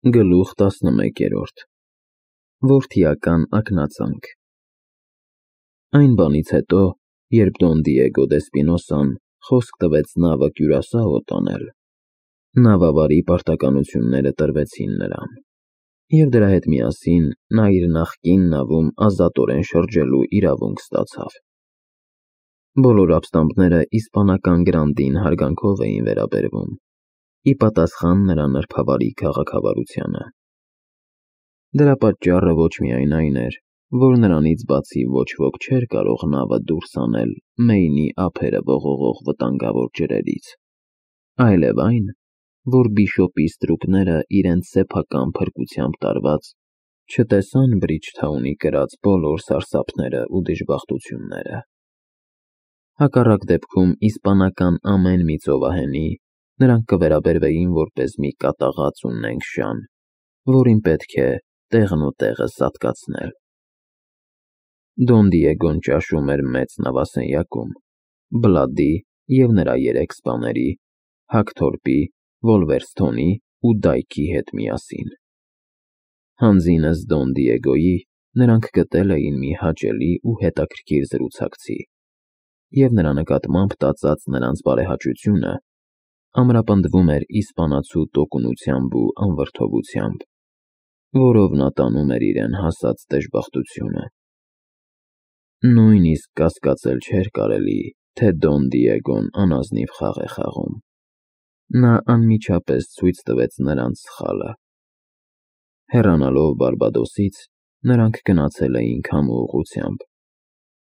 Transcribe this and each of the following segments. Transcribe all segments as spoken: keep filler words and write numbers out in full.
Գլուխ տասնմեկերորդ Որդիական ակնածանք Այն բանից հետո, երբ Դոն Դիեգո դե Սպինոսան խոսք տվեց նավը Կյուրասաո տանել, նավավարի պարտականությունները տրվեցին նրան, և դրա հետ միասին նա իր նախկին նավում ազատորեն շրջելու իրավունք ստացավ։ Բոլոր ապստամբները իսպանական Գրանդին հարգանքով էին վերաբերվում, ի պատասխան նրա նրբավարի քաղաքավարությանը։ Դրա պատճառը ոչ միայն այն էր, որ նրանից բացի ոչ ոք չէր կարող նավը դուրս անել Մեյնի ափերը ողողող վտանգավոր ջրերից, այլև այն, որ բիշոպի ստրուկները իրենց սեփական փրկությամբ տարված չտեսան Բրիջթաունի կրած բոլոր սարսափները ու դժբախտությունները։ Հակառակ դեպքում իսպանական ամեն մի ծովահենի նրանք կվերաբերվեին որպես մի կատաղած ու նենգ շան, որին պետք է տեղն ու տեղը սատկացնել։ Դոն Դիեգոն ճաշում էր մեծ նավասենյակում, Բլադի և նրա երեք սպաների՝ Հակթորպի, Վոլվերսթոնի ու Դայքի հետ միասին։ Հանձինս Դոն Դիեգոյի նրանք գտել էին մի հաճելի ու հետաքրքիր զրուցակցի, և նրա նկատմամբ տածած նրանց բարեհաճությունը ամրապնդվում էր իսպանացու տոկունությամբ ու անվրդովությամբ, որով նա տանում էր իրեն հասած դժբախտությունը։ Նույնիսկ կասկածել չէր կարելի, թե Դոն Դիեգոն անազնիվ խաղ է խաղում։ Նա անմիջապես ցույց տվեց նրանց սխալը։ Հեռանալով Բարբադոսից՝ նրանք գնացել էին քամու ուղղությամբ,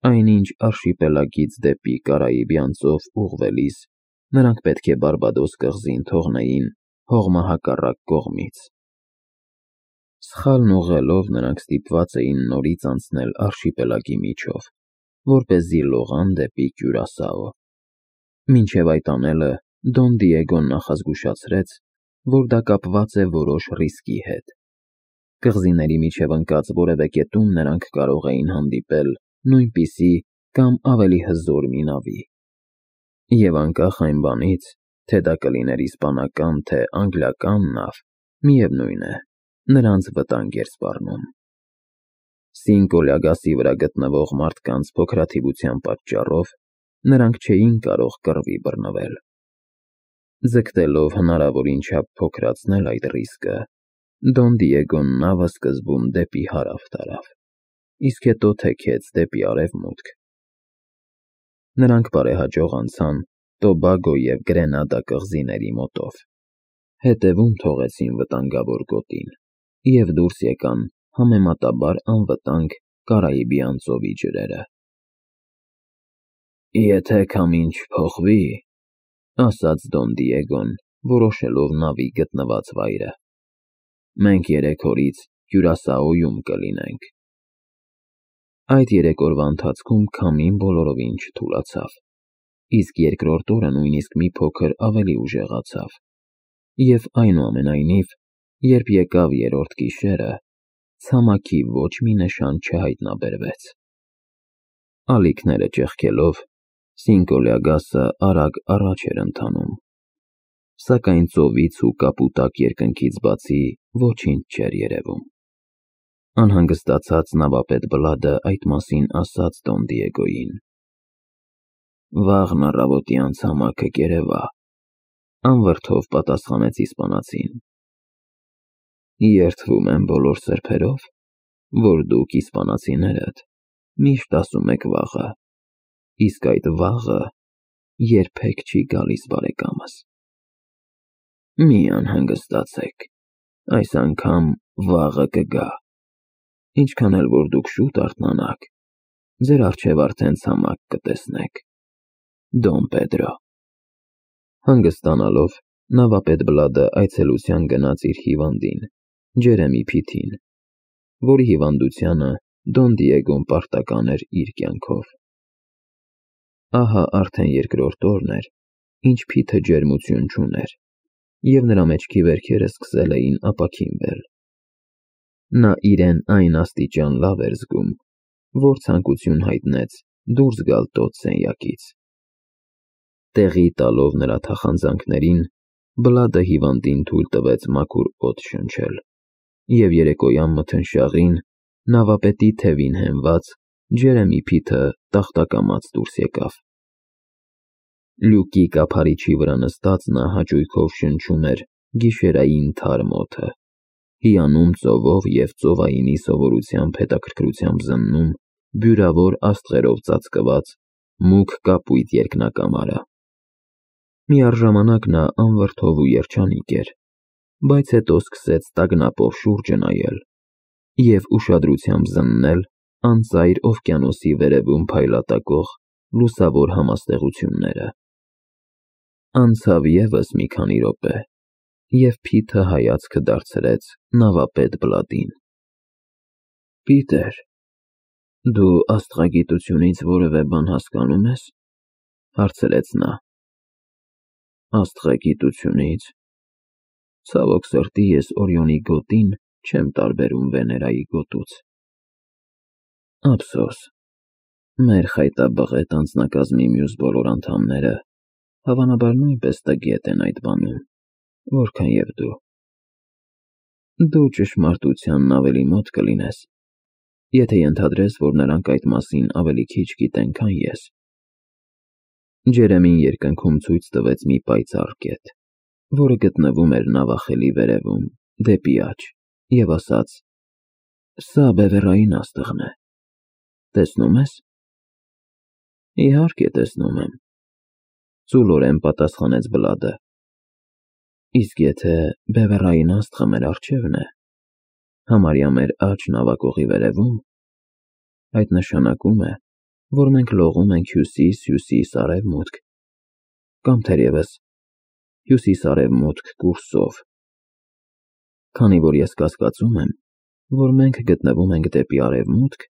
այնինչ արշիպելագից դեպի Կարիբյան ծով ուղղվելիս նրանք պետք է Բարբադոս կղզին թողնեին հողմահակառակ կողմից։ Սխալն ուղղելով նրանք ստիպված էին նորից անցնել արշիպելագի միջով, որպեսզի լողան դեպի Կյուրասաո։ Մինչև այդ անելը Դոն Դիեգոն նախազգուշացրեց, որ դա կապված է որոշ ռիսկի հետ։ Կղզիների միջև ընկած որևէ կետում նրանք կարող էին հանդիպել նույնպիսի կամ ավելի հզոր մի նավի։ Եվ անկախ այն բանից, թե դա կլիներ իսպանական, թե անգլիական նավ, միևնույն է, նրանց վտանգ էր սպառնում։ Սինկո Լյագասի վրա գտնվող մարդկանց փոքրաթիվության պատճառով նրանք չէին կարող կռվի բռնվել։ Ձգտելով հնարավորին չափ փոքրացնել այդ ռիսկը, Դոն Դիեգոն նավը սկզբում դեպի հարավ տարավ, իսկ հետո թեքեց դեպի արևմուտք։ Նրանք բարեհաջող անցան Տոբագո և Գրենադա կղզիների մոտով, հետևում թողեցին վտանգավոր գոտին և դուրս եկան համեմատաբար անվտանգ Կարիբյան ծովի ջրերը։ «Եթե քամին չփոխվի,» ասաց Դոն Դիեգոն, որոշելով նավի գտնված վայրը, «մենք երեք օրից Կյուրասաոյում կլինենք»։ Այդ երեք օրվա ընթացքում քամին բոլորովին չթուլացավ, իսկ երկրորդ օրը նույնիսկ մի փոքր ավելի ուժեղացավ, և այնուամենայնիվ, երբ եկավ երրորդ գիշերը, ցամաքի ոչ մի նշան չհայտնաբերվեց։ Ալիքները ճեղքելով, Սինկո Լյագասը արագ առաջ էր ընթանում, սակայն ծովից ու կապուտակ երկնքից բացի ոչինչ չէր երևում։ Անհանգստացած նավապետ Բլադը այդ մասին ասաց Դոն Դիեգոյին։ «Վաղն առավոտյան ցամաքը կերևա», անվրդով պատասխանեց իսպանացին։ «Երդվում եմ բոլոր սրբերով, որ դուք իսպանացիներդ միշտ ասում եք վաղը, իսկ այդ վաղը երբեք չի գալիս, բարեկամս։ Մի անհանգստացեք, այս անգամ վաղը կգա, ինչքան էլ որ դուք շուտ արթնանաք, ձեր առջև արդեն ցամաք կտեսնեք։ Դոն Պեդրո»։ Հանգստանալով, նավապետ Բլադը այցելության գնաց իր հիվանդին, Ջերեմի Փիթին, որի հիվանդությանը Դոն Դիեգոն պարտական էր իր կյանքով։ Ահա արդեն երկրորդ օրն էր, ինչ Փիթը ջերմություն չուներ, և նրա մեջքի վերքերը սկսել էին ապաքինվել։ Նա իրեն այն աստիճան լավ էր զգում, որ ցանկություն հայտնեց դուրս գալ տոց սենյակից։ Տեղի տալով նրա թախանձանքներին, Բլադը հիվանդին թույլ տվեց մաքուր օդ շնչել, և երեկոյան մթնշաղին նավապետի թևին հենված Ջերեմի Փիթը տախտակամած դուրս եկավ։ Լյուկի կափարիչի վրա նստած նա հաճույքով շնչում էր գիշերային թարմ օդը, հիանում ծովով և ծովայինի սովորությամբ հետաքրքրությամբ զննում բյուրավոր աստղերով ծածկված մուգ կապույտ երկնակամարը։ Միառժամանակ նա անվրդով ու երջանիկ էր, բայց հետո սկսեց տագնապով շուրջը նայել և ուշադրությամբ զննել անծայր օվկիանոսի վերևում փայլատակող լուսավոր համաստեղությունները։ Անցավ ևս մի քանի րոպե, և Փիթը հայացքը դարձրեց նավապետ Բլադին։ «Պիտեր, դու աստղագիտությունից որևէ բան հասկանո՞ւմ ես», հարցրեց նա։ «Աստղագիտությունից… Ցավոք սրտի, ես Օրիոնի գոտին չեմ տարբերում Վեներայի գոտուց»։ Ափսոս, մեր խայտաբղետ անձնակազմի մյուս բոլոր անդամները հավանաբար նույնպես տգետ են այդ բանում, որքան և դու։ Դու ճշմարտությանն ավելի մոտ կլինես, եթե ենթադրես, որ նրանք այդ մասին ավելի քիչ գիտեն, քան ես։ Ջերեմին երկնքում ցույց տվեց մի պայծառ կետ, որը գտնվում էր նավախելի վերևում, դեպի աջ, և ասաց. «Սա բևեռային աստղն է, տեսնո՞ւմ ես»։ «Իհարկե, տեսնում եմ», ծուլորեն պատասխանեց Բլադը։ «Իսկ եթե բևեռային աստղը մեր առջևն է, համարյա մեր աջ նավակողի վերևում, այդ նշանակում է, որ մենք լողում ենք հյուսիս֊հյուսիս֊արևմուտք, կամ թերևս հյուսիս֊արևմուտք կուրսով։ Քանի որ ես կասկածում եմ, որ մենք գտնվում ենք դեպի արևմուտք,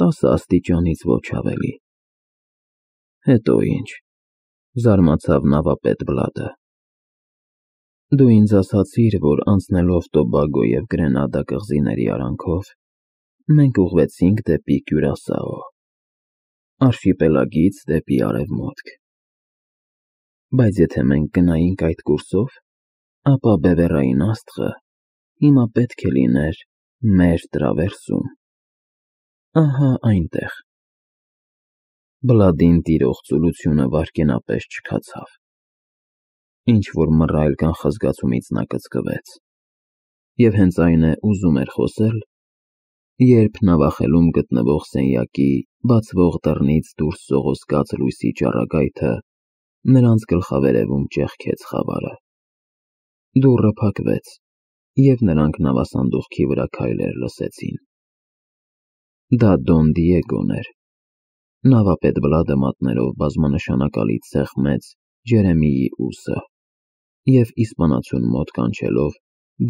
տասը աստիճանից ոչ ավելի»։ Հետո ի՞նչ, զարմացավ նավապետ Բլադը։ «Դու ինձ ասացիր, որ անցնելով Տոբագո և Գրենադա կղզիների արանքով, մենք ուղղվեցինք դեպի Կյուրասաո, արշիպելագից դեպի արևմուտք։ Բայց եթե մենք գնայինք այդ կուրսով, ապա բևեռային աստղը հիմա պետք է լիներ մեր տրավերսում։ Ահա այնտեղ»։ Բլադին տիրող ծուլությունը վայրկենապես չքացավ։ Ինչ-որ մռայլ կանխազգացումից նա կծկվեց, և հենց այն է ուզում էր խոսել, երբ նավախելում գտնվող սենյակի բացվող դռնից դուրս սողոսկաց լույսի ճառագայթը նրանց գլխավերևում ճեղքեց խավարը։ Դուռը փակվեց, և նրանք նավասանդուղքի վրա քայլեր լսեցին։ Դա Դոն Դիեգոն էր։ Նավապետ Բլադը մատներով բազմանշանակալից սեղմեց Ջերեմիի ուսը և իսպանացուն մոտ կանչելով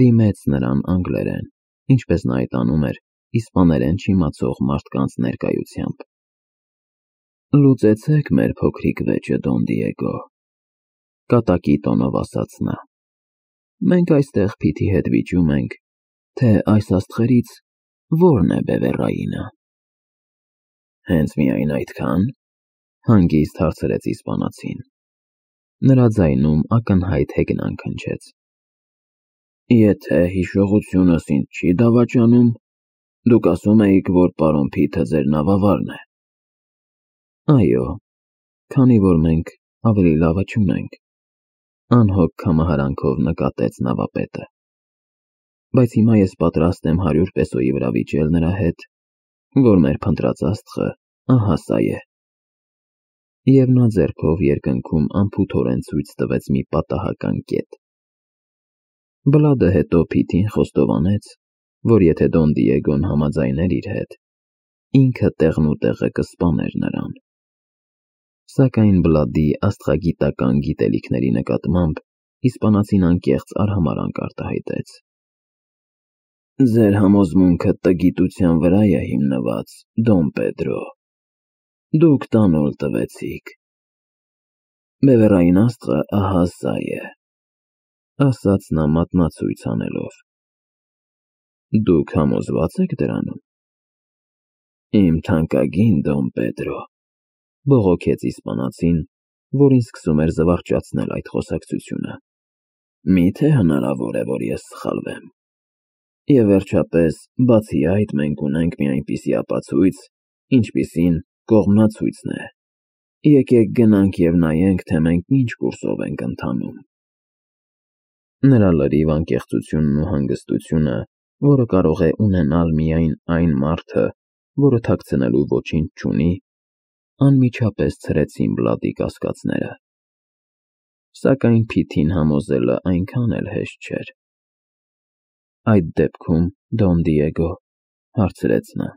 դիմեց նրան անգլերեն, ինչպես նա այդ անում էր իսպաներեն չիմացող մարդկանց ներկայությամբ։ «Լուծեցեք մեր փոքրիկ վեճը, Դոն Դիեգո», կատակի տոնով ասաց նա։ «Մենք այստեղ Փիթի հետ վիճում ենք, թե այս աստղերից որն է բևեռայինը»։ «Հենց միայն այդքա՞ն», հանգիստ հարցրեց իսպանացին։ Նրա ձայնում ակնհայտ հեգնանք հնչեց։ «Եթե հիշողությունս ինձ չի դավաճանում, դուք ասում էիք, որ պարոն Փիթը ձեր նավավարն է»։ «Այո, քանի որ մենք ավելի լավը չունենք», անհոգ կամահարանքով նկատեց նավապետը։ «Բայց հիմա ես պատրաստ եմ հարյուր պեսոյի վրա վիճել նրա հետ, որ մեր փնտրած աստղը ահա սա է»։ Եվ նա ձեռքով երկնքում անփութորեն ցույց տվեց մի պատահական կետ։ Բլադը հետո Փիթին խոստովանեց, որ եթե Դոն Դիեգոն համաձայներ իր հետ, ինքը տեղնուտեղը կսպաներ նրան։ Սակայն Բլադի աստղագիտական գիտելիքների նկատմամբ իսպանացին անկեղծ արհամարհանք արտահայտեց։ «Ձեր համոզմունքը տգիտության վրա է հիմնված, Դոն Պեդրո։ Դուք տանուլ տվեցիք։ Բևեռային աստղը ահա սա է», ասաց նա մատնացույց անելով։ «Դուք համոզվա՞ծ եք դրանում»։ «Իմ թանկագին Դոն Պեդրո», բողոքեց իսպանացին, որին սկսում էր զվարճացնել այդ խոսակցությունը։ Միթե հնարավոր է, որ ես սխալվեմ։ Եվ վերջապես, բացի այդ, մենք ունենք մի այնպիսի ապացույց, ինչպիսին կողմնացույցն է։ Եկեք գնանք և նայենք, թե մենք ինչ կուրսով ենք ընթանում։ Նրա լրիվ անկեղծությունն ու հանգստությունը, որը կարող է ունենալ միայն այն մարդը, որը թաքցնելու ոչինչ չունի, անմիջապես ցրեցին Բլադի կասկածները։ Սակայն Փիթին համոզելը այնքան էլ հեշտ չէր։ Այդ դեպքում, Դոն Դիեգո, հարցրեց նա,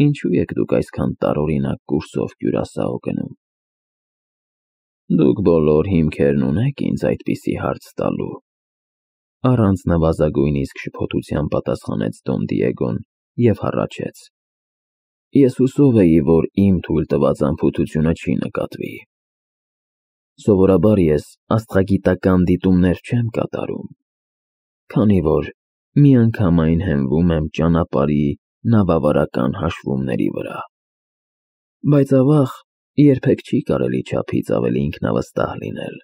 ինչու եք դուք այսքան տարօրինակ կուրսով Կյուրասաո գնում։ Դուք բոլոր հիմքերն ունեք ինձ այդպիսի հարց տալու։ Առանց նվազագույնիսկ շփոթության պատասխանեց Դոն Դիեգոն և հառաչեց. Ես հուսով էի, որ իմ թույլ տված անփութությունը չի նկատվի։ Սովորաբար ես աստղագիտական դիտումներ չեմ կատարում, քանի որ միանգամայն հենվում եմ ճանապարհի նավավարական հաշվումների վրա։ Բայց ավաղ, երբեք չի կարելի չափից ավելի ինքնավստահ լինել։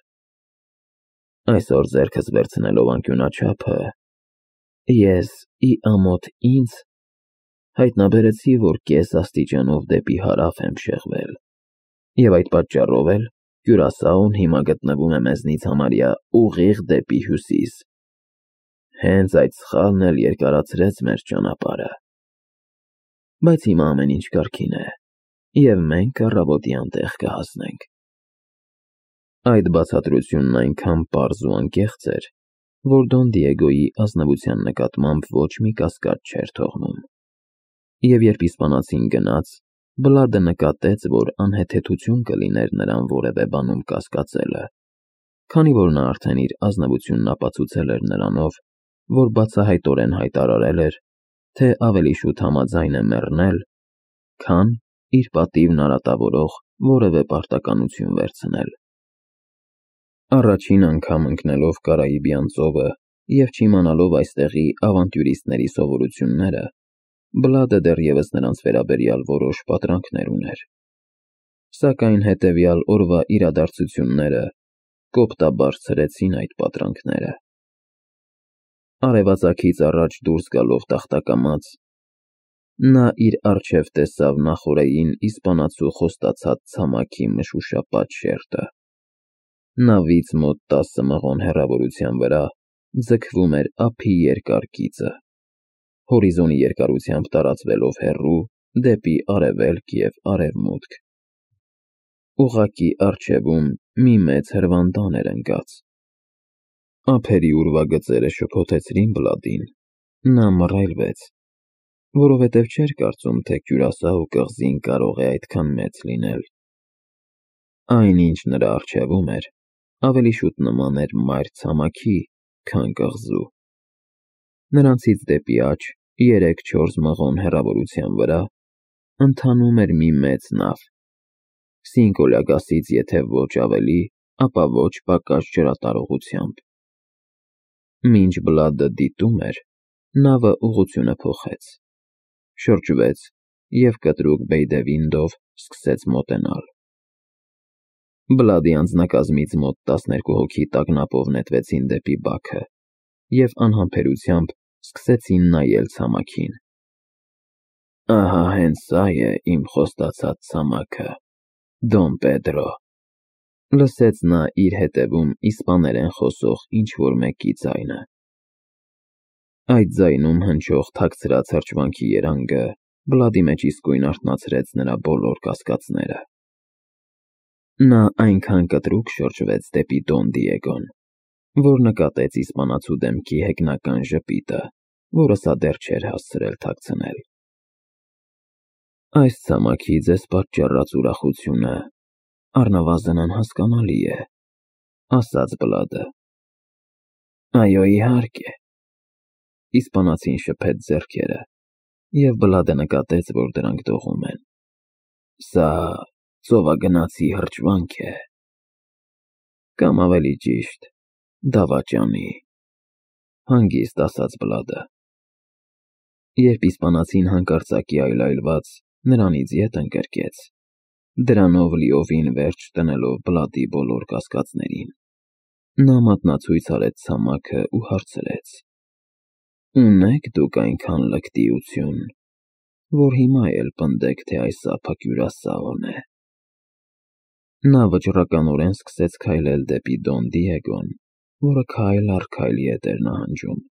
Այսօր ձեռքս վերցնելով անկյունաչափը, ես ի ամոթ ինձ հայտնաբերեցի, որ կես աստիճանով դեպի հարավ եմ շեղվել, և այդ պատճառով էլ Կյուրասաոն հիմա գտնվում է մեզնից համարյա ուղիղ դեպի հյուսիս։ Հենց այդ սխալն էլ երկարացրեց մեր ճանապարհը։ Բայց հիմա ամեն ինչ կարգին է, և մենք առավոտյան տեղ կհասնենք։ Այդ բացատրությունն այնքան պարզ ու անկեղծ էր, որ Դոն Դիեգոյի ազնվության նկատմամբ ոչ մի կասկած չէր թողնում։ Եվ երբ իսպանացին գնաց, Բլադը նկատեց, որ անհեթեթություն կլիներ նրան որևէ բանում կասկածելը, քանի որ նա արդեն իր ազնվությունն ապացուցել էր նրանով, որ բացահայտորեն հայտարարել էր, թե ավելի շուտ համաձայն է մեռնել, քան իր պատիվն արատավորող որևէ պարտականություն վերցնել։ Առաջին անգամ ընկնելով Կարիբյան ծովը և չիմանալով այստեղի ավանտյուրիստների սովորությունները, Բլադը դեռևս նրանց վերաբերյալ որոշ պատրանքներ ուներ։ Սակայն հետևյալ օրվա իրադարձությունները կոպտաբարձրեցին այդ պատրանքները։ Արևածագից առաջ դուրս գալով տախտակամած, նա իր առջև տեսավ նախօրեին իսպանացու խոստացած ցամաքի մշուշապատ շերտը։ Նավից մոտ տասը մղոն հեռավորության վրա ձգվում էր ափի երկար գիծը, հորիզոնի երկարությամբ տարածվելով հեռու դեպի արևելք և արևմուտք։ Ուղղակի առջևում մի մեծ հրվանդան էր ընկած։ Ափերի ուրվագծերը շփոթեցրին Բլադին, նա մռայլվեց, որովհետև չէր կարծում, թե Կյուրասաո կղզին կարող է այդքան մեծ լինել։ Այն, ինչ նրա առջևում էր, ավելի շուտ նման էր մայր ցամաքի, քան կղզու։ Նրանցից դեպի աջ, երեք֊չորս մղոն հեռավորության վրա, ընթանում էր մի մեծ նավ, Սինկոլյագասից եթե ոչ ավելի, ապա ոչ պակաս ջրատարողությամբ։ Մինչ Բլադը դիտում էր, նավը ուղղությունը փոխեց, շրջվեց և կտրուկ բեյդևինդով սկսեց մոտենալ։ Բլադի անձնակազմից մոտ տասներկու հոգի տագնապով նետվեցին դեպի բաքը և անհամբերությամբ սկսեցին նայել ցամաքին։ Ահա հենց սա է իմ խոստացած ցամաքը, Դոն Պեդրո, լսեց նա իր հետևում իսպաներեն խոսող ինչ-որ մեկի ձայնը։ Այդ ձայնում հնչող թաքցրած հրճվանքի երանգը Բլադի մեջ իսկույն արթնացրեց նրա բոլոր կասկածները։ Նա այնքան կտրուկ շրջվեց դեպի Դոն Դիեգոն, որ նկատեց իսպանացու դեմքի հեգնական ժպիտը, որը սա դեռ չէր հասցրել թաքցնել։ Այս ցամաքի ձեզ պատճառած ուրախությունը առնվազն անհասկանալի է, ասաց Բլադը։ Այո, իհարկե։ Իսպանացին շփեց ձեռքերը, և Բլադը նկատեց, որ դրանք դողում են։ Սա ծովագնացի հրճվանք է։ Կամ ավելի ճիշտ, դավաճանի, հանգիստ ասաց Բլադը։ Երբ իսպանացին հանկարծակի այլայլված նրանից ետ ընկրկեց, դրանով լիովին վերջ տնելով Բլադի բոլոր կասկածներին։ Նա մատնացույց արեց ցամաքը ու հարցրեց. «Ունե՞ք դուք այնքան լկտիություն, որ հիմա էլ պնդեք, թե այս ափը կյուրասաղն է»։ Նա վճռականորեն սկսեց քայլել դեպի Դոն Դիեգոն, որը քայլ առ քայլի հետ էր նահանջում։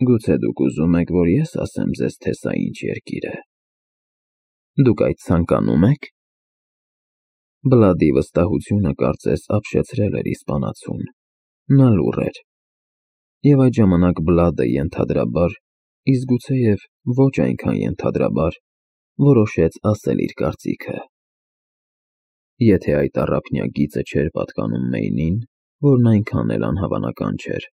«Գուցե դուք ուզում եք, որ ես ասեմ ձեզ, թե սա ինչ երկիր է։ Դուք այդ ցանկանում եք»։ Բլադի վստահությունը կարծես ապշեցրել էր իսպանացուն։ Նա լուռ էր։ Եվ այդ ժամանակ Բլադը ենթադրաբար, իսկ գուցեև ոչ այնքան ենթադրաբար, որոշեց ասել իր կարծիքը։ Եթե այդ առափնյա գիծը չէր պատկանում Մեյնին, որն այնքան էլ անհավանական չէր,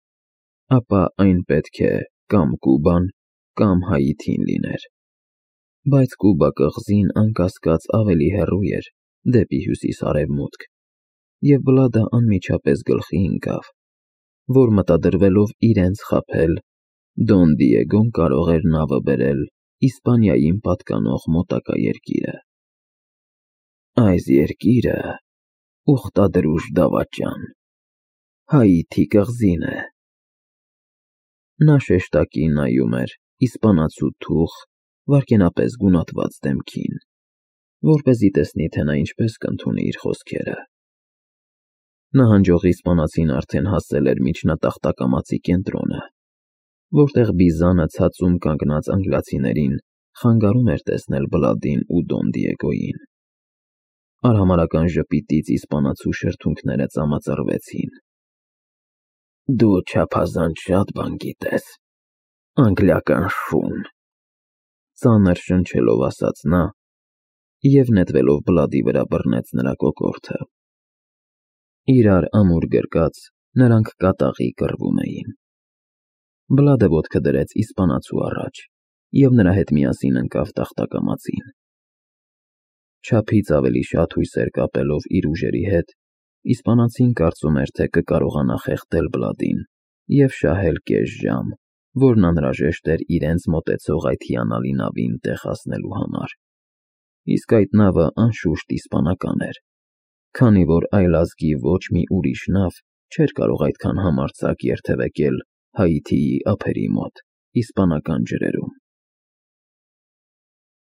ապա այն պետք է կամ Կուբան, կամ Հայիթին լիներ։ Բայց Կուբա կղզին անկասկած ավելի հեռու էր, դեպի հյուսիս֊արևմուտք, և Բլադը անմիջապես գլխի ընկավ, որ մտադրվելով իրենց խաբել, Դոն Դիեգոն կարող էր նավը բերել Իսպանիային պատկանող մոտակա երկիրը։ Այս երկիրը ուխտադրուժ դավաճան, Հայիթի կղզին է։ Նա շեշտակի նայում էր իսպանացու թուխ, վայրկենապես գունատված դեմքին, որպեսզի տեսնի, թե նա ինչպես կընդունի իր խոսքերը։ Նահանջող իսպանացին արդեն հասել էր միջնատախտակամածի կենտրոնը, որտեղ բիզանը ցածում կանգնած անգլիացիներին խանգարում էր տեսնել Բլադին ու Դոն Դիեգոյին։ Արհամարհական ժպիտից իսպանացու շրթունքները ծամածռվեցին։ «Դու չափազանց շատ բան գիտես, անգլիական շուն», ծանր շնչելով ասաց նա և նետվելով Բլադի վրա բռնեց նրա կոկորդը։ Իրար ամուր գրկած՝ նրանք կատաղի կռվում էին։ Բլադը ոտքը դրեց իսպանացու առաջ և նրա հետ միասին ընկավ տախտակամածին։ Չափից ավելի շատ հույսեր կապելով իր ուժերի հետ, իսպանացին կարծում էր, թե կկարողանա խեղդել Բլադին և շահել կես ժամ, որն անհրաժեշտ էր իրենց մոտեցող այդ հիանալի նավին տեղ հասնելու համար։ Իսկ այդ նավը անշուշտ իսպանական էր, քանի որ այլազգի ոչ մի ուրիշ նավ չէր կարող այդքան համարձակ երթևեկել Հայիթիի ափերի մոտ իսպանական ջրերում։